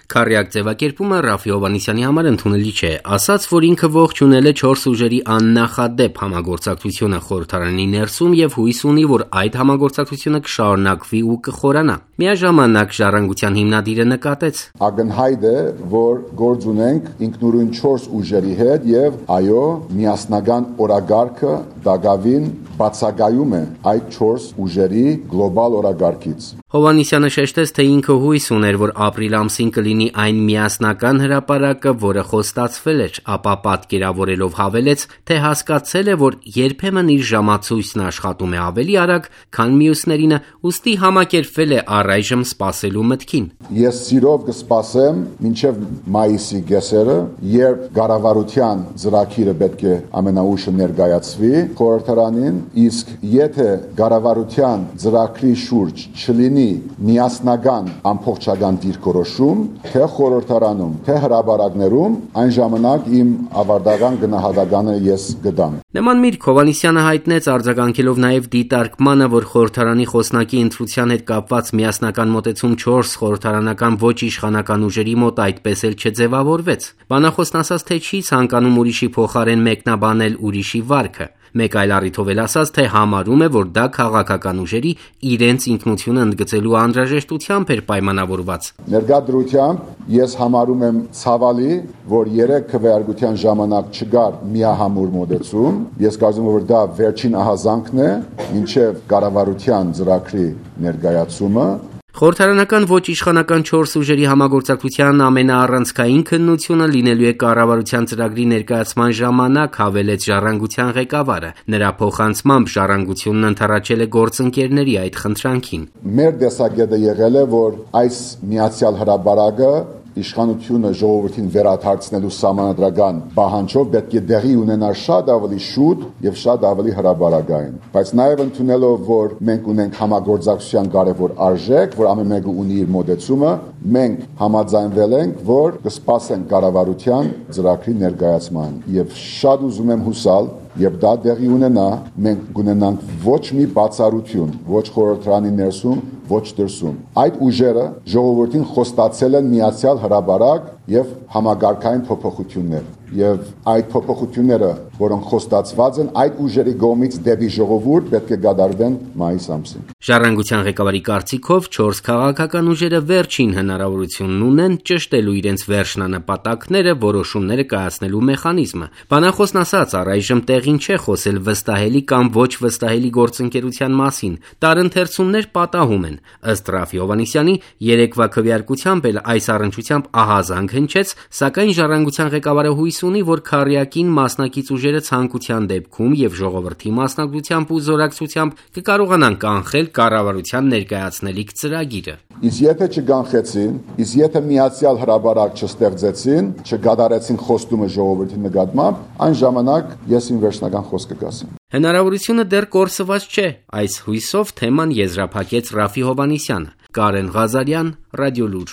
Քառյակ ձևակերպումը Ռաֆի Հովհաննիսյանի համար ընդունելի չէ, ասաց, որ ինքը ողջունել է 4 ուժերի աննախադեպ համագործակցությունը խորհրդարանի ներսում եւ հույս ունի, որ այդ համագործակցությունը կշարունակվի ու կխորանա։ Միաժամանակ Ժառանգության հիմնադիրը նկատեց. Ակնհայտ է, որ գործ ունենք ինքնուրույն 4 ուժերի հետ եւ այո, միասնական օրագարկը դակավին բացակայում է այդ 4 ուժերի գլոբալ օրագարկից։ Հովհաննիսյանը շեշտեց, թե ինքը հույս ուներ, որ ապրիլ ամսին կլինի այն միասնական հրապարակը, որը խոստացվել էր, ապա պատկերավորելով հավելեց, թե հասկացել է, որ երբեմն իր ժամացույցն աշխատում է ավելի արագ, քան մյուսներինը, ուստի համակերպվել է առայժմ սպասելու մտքին։ Ես սիրով կսպասեմ մինչև մայիսի կեսերը, երբ կառավարության ծրագիրը պետք է ամենաուշը ներկայացվի խորհրդարանին, իսկ եթե կառավարության ծրագրի շուրջ չլինի միասնական ամբողջական դիրքորոշում, թե խորհրդարանում, թե հրապարակներում, այն ժամանակ իմ ավարտական գնահատականը ես կտամ։ Նման միտք Հովհաննիսյանը հայտնեց արձագանքելով նաև դիտարկմանը, որ խորհրդարանի խոսնակի ընտրության հետ կապված միասնական մոտեցում 4 խորհրդարանական ոչ իշխանական ուժերի մոտ այդպես էլ չձևավորվեց։ Բանախոսն ասաց, թե չի ցանկանում ուրիշի փոխարեն մեկնաբանել ուրիշի վարքը։ Մեկ այլ առիթով էլ ասաց, թե համարում է, որ դա քաղաքական ուժերի իրենց ինքնությունը ընդգծելու անհրաժեշտությամբ էր պայմանավորված։ Ներկա դրությամբ ես համարում եմ ցավալի, որ 3 քվեարկության ժամանակ չկար միահամուռ մոտեցում։ Ես կարծում եմ, որ դա վերջին ահազանգն է մինչև կառավարության ծրագրի ներկայացումը։ Խորհրդարանական ոչ իշխանական 4 ուժերի համագործակցության ամենաառանցքային քննությունը լինելու է կառավարության ծրագրի ներկայացման ժամանակ, հավելեց Ժառանգության ղեկավարը։ Նրա փոխանցմամբ Ժառանգությունն ընդառաջել է գործընկերների այդ խնդրանքին։ Մեր տեսակետը եղել է, որ այս միացյալ հրապարակը իշխանությունը ժողովրդին վերադարձնելու սահմանադրական պահանջով պետք է տեղի ունենա շատ ավելի շուտ եւ շատ ավելի հրապարակային։ Բայց նաեւ ընդունելով, որ մենք ունենք համագործակցության կարևոր արժեք, որ ամեն մեկը ունի իր մոտեցումը, մենք համաձայնվել ենք, որ կսպասենք կառավարության ծրագրի ներկայացման եւ շատ ուզում եմ հուսալ, Եվ դա տեղի ունենա, մենք կունենանք ոչ մի բացառություն, ոչ խորհրդարանի ներսում, ոչ դրսում։ Այդ ուժերը ժողովրդին խոստացել են միացյալ հրապարակ եւ համագարկային փոփոխություններ։ Եվ այդ փոփոխությունները, որոնք խոստացված են, այդ ուժերի կողմից դեպի ժողովուրդ պետք է կատարվեն մայիս ամսին։ Ժառանգության ղեկավարի կարծիքով 4 քաղաքական ուժերը վերջին հնարավորությունն ունեն ճշտելու իրենց վերջնանպատակները, որոշումները կայացնելու մեխանիզմը։ Բանախոսն ասաց, առայժմ տեղին չէ խոսել վստահելի կամ ոչ վստահելի գործընկերության մասին։ Տարընթերցումներ պատահում են։ Ըստ Ռաֆի Հովհաննիսյանի, երեկվա քվեարկությամբ էլ այս առնչությամբ ահազանգ հնչեց, սակայն Ժառանգության ղեկավարը հույս ունի, որ քառյակին մասնակից ուժերը ցանկության դեպքում եւ ժողովրդի մասնակցությամբ ու զորակցությամբ կկարողանան կանխել կառավարության ներկայացնելիք ծրագիրը։ Իսկ եթե չկանխեցին, իսկ եթե միացյալ հրապարակ չստեղծեցին, չկատարեցին խոստումը ժողովրդի նկատմամբ, այն ժամանակ ես իմ վերջնական խոսքը կասեմ։ Հնարավորությունը դեռ կորսված չէ, այս հույսով թեման եզրափակեց Ռաֆի Հովհաննիսյանը։ Կարեն Ղազարյան, Ռադիոլուր։